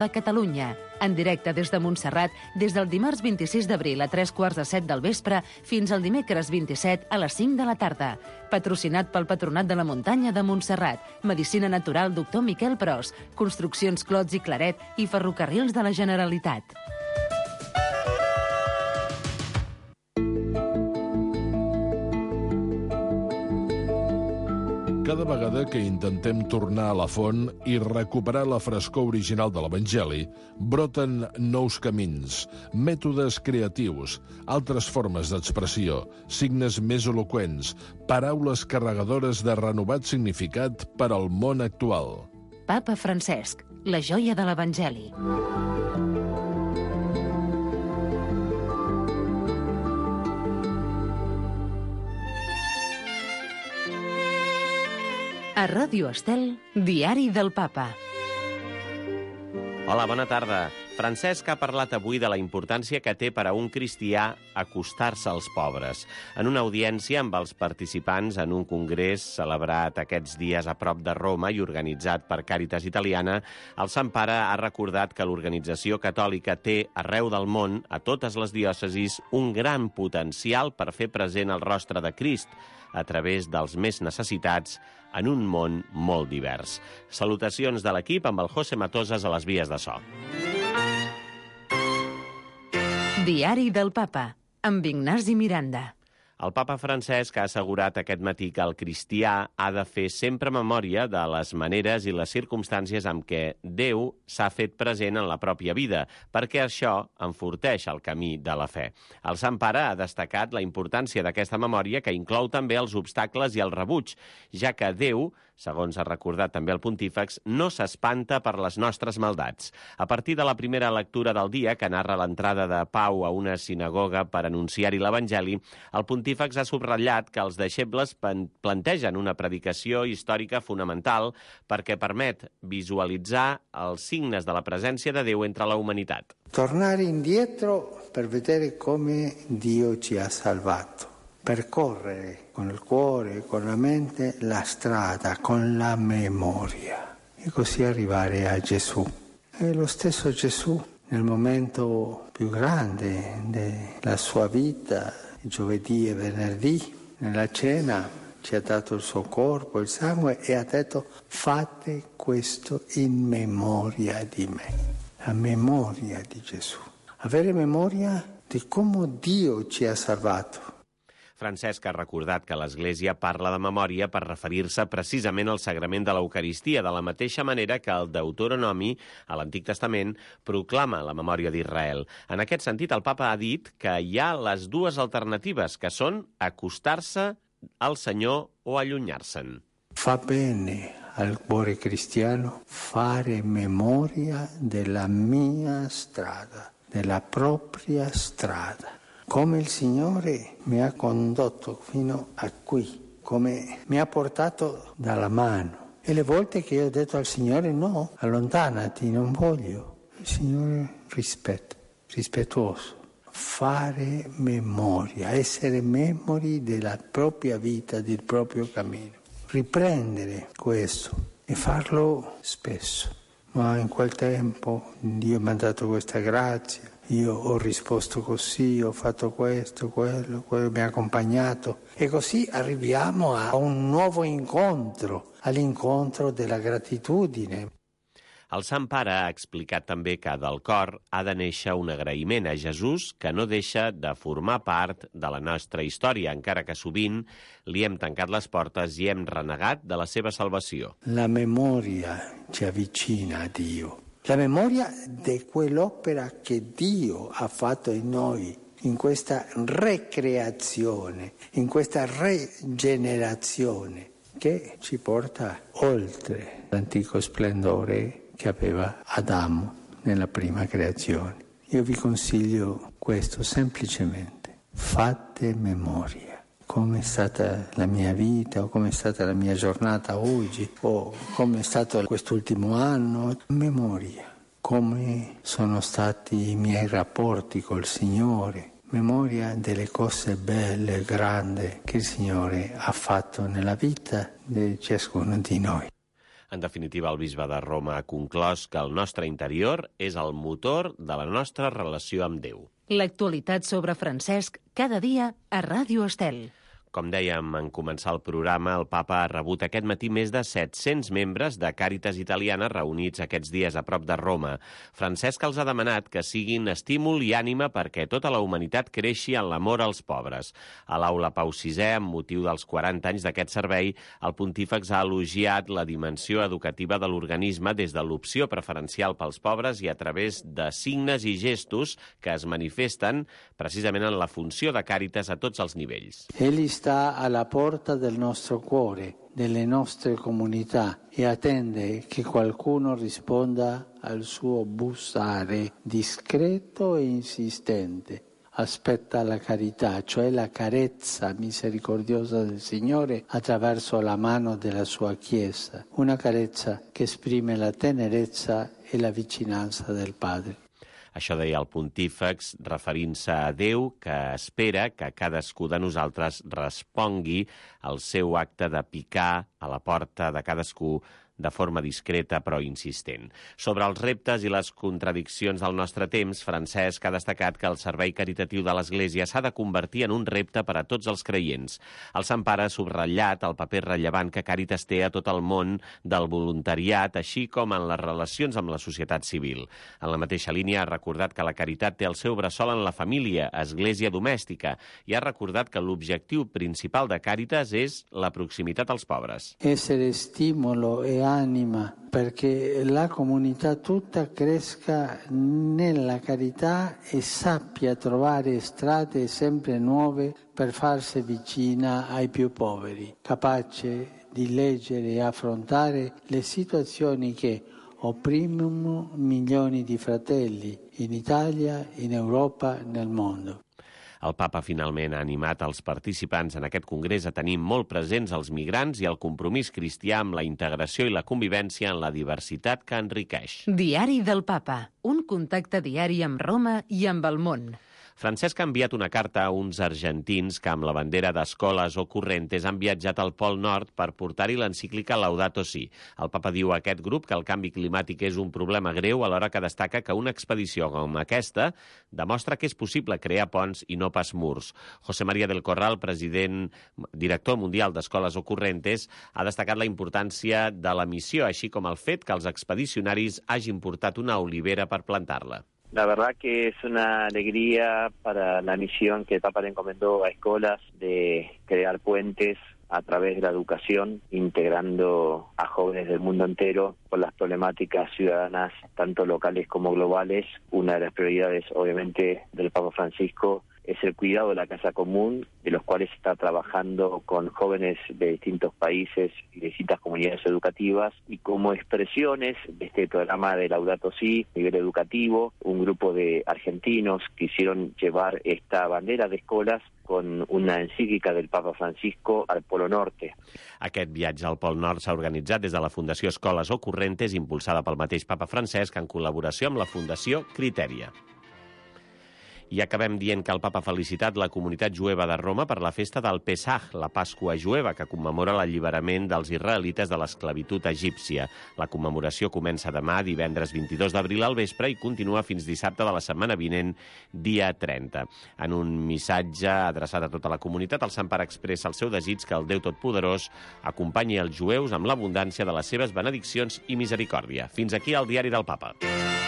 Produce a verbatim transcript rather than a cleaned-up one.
de Catalunya, en directe des de Montserrat, des del dimarts vint-i-sis d'abril a tres quarts de set del vespre fins al dimecres vint-i-set a les cinc de la tarda. Patrocinat pel Patronat de la Muntanya de Montserrat, Medicina Natural doctor Miquel Pros, Construccions Clots i Claret i Ferrocarrils de la Generalitat. Cada vegada que intentem tornar a la font i recuperar la frescor original de l'Evangeli, broten nous camins, mètodes creatius, altres formes d'expressió, signes més eloqüents, paraules carregadores de renovat significat per al món actual. Papa Francesc, la joia de l'Evangeli. A Ràdio Estel, Diari del Papa. Hola, bona tarda. Francesc ha parlat avui de la importància que té per a un cristià acostar-se als pobres. En una audiència amb els participants en un congrés celebrat aquests dies a prop de Roma i organitzat per Càritas Italiana, el Sant Pare ha recordat que l'organització catòlica té arreu del món, a totes les diòcesis, un gran potencial per fer present el rostre de Crist a través dels més necessitats en un món molt divers. Salutacions de l'equip amb el José Matosas a les vies de so. Diari del Papa, amb Ignasi Miranda. El papa Francesc ha assegurat aquest matí que el cristià ha de fer sempre memòria de les maneres i les circumstàncies amb què Déu s'ha fet present en la pròpia vida, perquè això enforteix el camí de la fe. El Sant Pare ha destacat la importància d'aquesta memòria, que inclou també els obstacles i el rebuig, ja que Déu, segons ha recordat també el pontífex, no s'espanta per les nostres maldats. A partir de la primera lectura del dia, que narra l'entrada de Pau a una sinagoga per anunciar-hi l'Evangeli, el pontífex ha subratllat que els deixebles plantegen una predicació històrica fonamental perquè permet visualitzar els signes de la presència de Déu entre la humanitat. Tornare indietro per vedere come Dio ci ha salvato. Percorrere con il cuore, con la mente, la strada, con la memoria e così arrivare a Gesù. E lo stesso Gesù, nel momento più grande della sua vita, giovedì e venerdì, nella cena, ci ha dato il suo corpo, il sangue e ha detto: fate questo in memoria di me, a memoria di Gesù. Avere memoria di come Dio ci ha salvato. Francesc ha recordat que l'Església parla de memòria per referir-se precisament al sagrament de l'Eucaristia, de la mateixa manera que el Deuteronomi, a l'Antic Testament, proclama la memòria d'Israel. En aquest sentit, el papa ha dit que hi ha les dues alternatives, que són acostar-se al Senyor o allunyar-se'n. Fa bene al cuore cristiano fare memoria della mia strada, della propria strada. Come il Signore mi ha condotto fino a qui, come mi ha portato dalla mano. E le volte che io ho detto al Signore no, allontanati, non voglio. Il Signore rispetta, rispettoso. Fare memoria, essere memori della propria vita, del proprio cammino. Riprendere questo e farlo spesso. Ma in quel tempo Dio mi ha dato questa grazia. Io ho risposto così, ho fatto questo, quello, quello mi ha accompagnato. E così arriviamo a un nuovo incontro, all'incontro della gratitudine. El Sant Pare ha explicat també que del cor ha de néixer un agraïment a Jesús que no deixa de formar part de la nostra història, encara que sovint li hem tancat les portes i hem renegat de la seva salvació. La memoria ci avvicina a Dio. La memoria di quell'opera che Dio ha fatto in noi, in questa recreazione, in questa rigenerazione, che ci porta oltre l'antico splendore che aveva Adamo nella prima creazione. Io vi consiglio questo semplicemente: fate memoria. Come è stata la mia vita, o come è stata la mia giornata oggi, o come è stato quest'ultimo anno. Memoria, come sono stati i miei rapporti col Signore. Memoria delle cose belle e grandi che il Signore ha fatto nella vita di ciascuno di noi. En definitiva, el bisbe de Roma ha conclòs que el nostre interior és el motor de la nostra relació amb Déu. L'actualitat sobre Francesc cada dia a Ràdio Estel. Com dèiem en començar el programa, el papa ha rebut aquest matí més de set-cents membres de Càritas Italiana reunits aquests dies a prop de Roma. Francesc els ha demanat que siguin estímul i ànima perquè tota la humanitat creixi en l'amor als pobres. A l'aula Pau sisè, amb motiu dels quaranta anys d'aquest servei, el pontífex ha elogiat la dimensió educativa de l'organisme des de l'opció preferencial pels pobres i a través de signes i gestos que es manifesten precisament en la funció de Càritas a tots els nivells. Egli sta alla porta del nostro cuore, delle nostre comunità e attende che qualcuno risponda al suo bussare discreto e insistente. Aspetta la carità, cioè la carezza misericordiosa del Signore attraverso la mano della sua Chiesa, una carezza che esprime la tenerezza e la vicinanza del Padre. Això deia el pontífex, referint-se a Déu, que espera que cadascú de nosaltres respongui al seu acte de picar a la porta de cadascú de forma discreta però insistent. Sobre els reptes i les contradiccions del nostre temps, Francesc ha destacat que el servei caritatiu de l'Església s'ha de convertir en un repte per a tots els creients. El Sant Pare ha subratllat el paper rellevant que Càritas té a tot el món del voluntariat, així com en les relacions amb la societat civil. En la mateixa línia ha recordat que la caritat té el seu bressol en la família, església domèstica, i ha recordat que l'objectiu principal de Càritas és la proximitat als pobres. Essere stimolo e anima perché la comunità tutta cresca nella carità e sappia trovare strade sempre nuove per farsi vicina ai più poveri, capace di leggere e affrontare le situazioni che opprimono milioni di fratelli in Italia, in Europa, nel mondo. El papa finalment ha animat els participants en aquest congrés a tenir molt presents els migrants i el compromís cristià amb la integració i la convivència en la diversitat que enriqueix. Diari del Papa, un contacte diari amb Roma i amb el món. Francesc ha enviat una carta a uns argentins que amb la bandera d'Escoles o Correntes han viatjat al Pol Nord per portar-hi l'encíclica Laudato Si. El papa diu a aquest grup que el canvi climàtic és un problema greu, alhora que destaca que una expedició com aquesta demostra que és possible crear ponts i no pas murs. José María del Corral, president, director mundial d'Escoles o Correntes, ha destacat la importància de la missió, així com el fet que els expedicionaris hagin portat una olivera per plantar-la. La verdad que es una alegría para la misión que el Papa le encomendó a Escolas de crear puentes a través de la educación, integrando a jóvenes del mundo entero con las problemáticas ciudadanas, tanto locales como globales. Una de las prioridades, obviamente, del Papa Francisco es el cuidado de la casa común, de los cuales está trabajando con jóvenes de distintos países y de distintas comunidades educativas, y como expresiones de este programa de Laudato Si a nivel educativo, un grupo de argentinos quisieron llevar esta bandera de Escolas con una encíclica del Papa Francisco al Polo Norte. Aquest viatge al Pol Nord s'ha organitzat des de la Fundació Escoles o Correntes, impulsada pel mateix Papa Francesc en col·laboració amb la Fundació Criteria. I acabem dient que el papa ha felicitat la comunitat jueva de Roma per la festa del Pesach, la Pasqua jueva, que commemora l'alliberament dels israelites de l'esclavitud egípcia. La commemoració comença demà, divendres vint-i-dos d'abril al vespre, i continua fins dissabte de la setmana vinent, dia trenta. En un missatge adreçat a tota la comunitat, el Sant Pare expressa el seu desig que el Déu Totpoderós acompanyi els jueus amb l'abundància de les seves benediccions i misericòrdia. Fins aquí el Diari del Papa.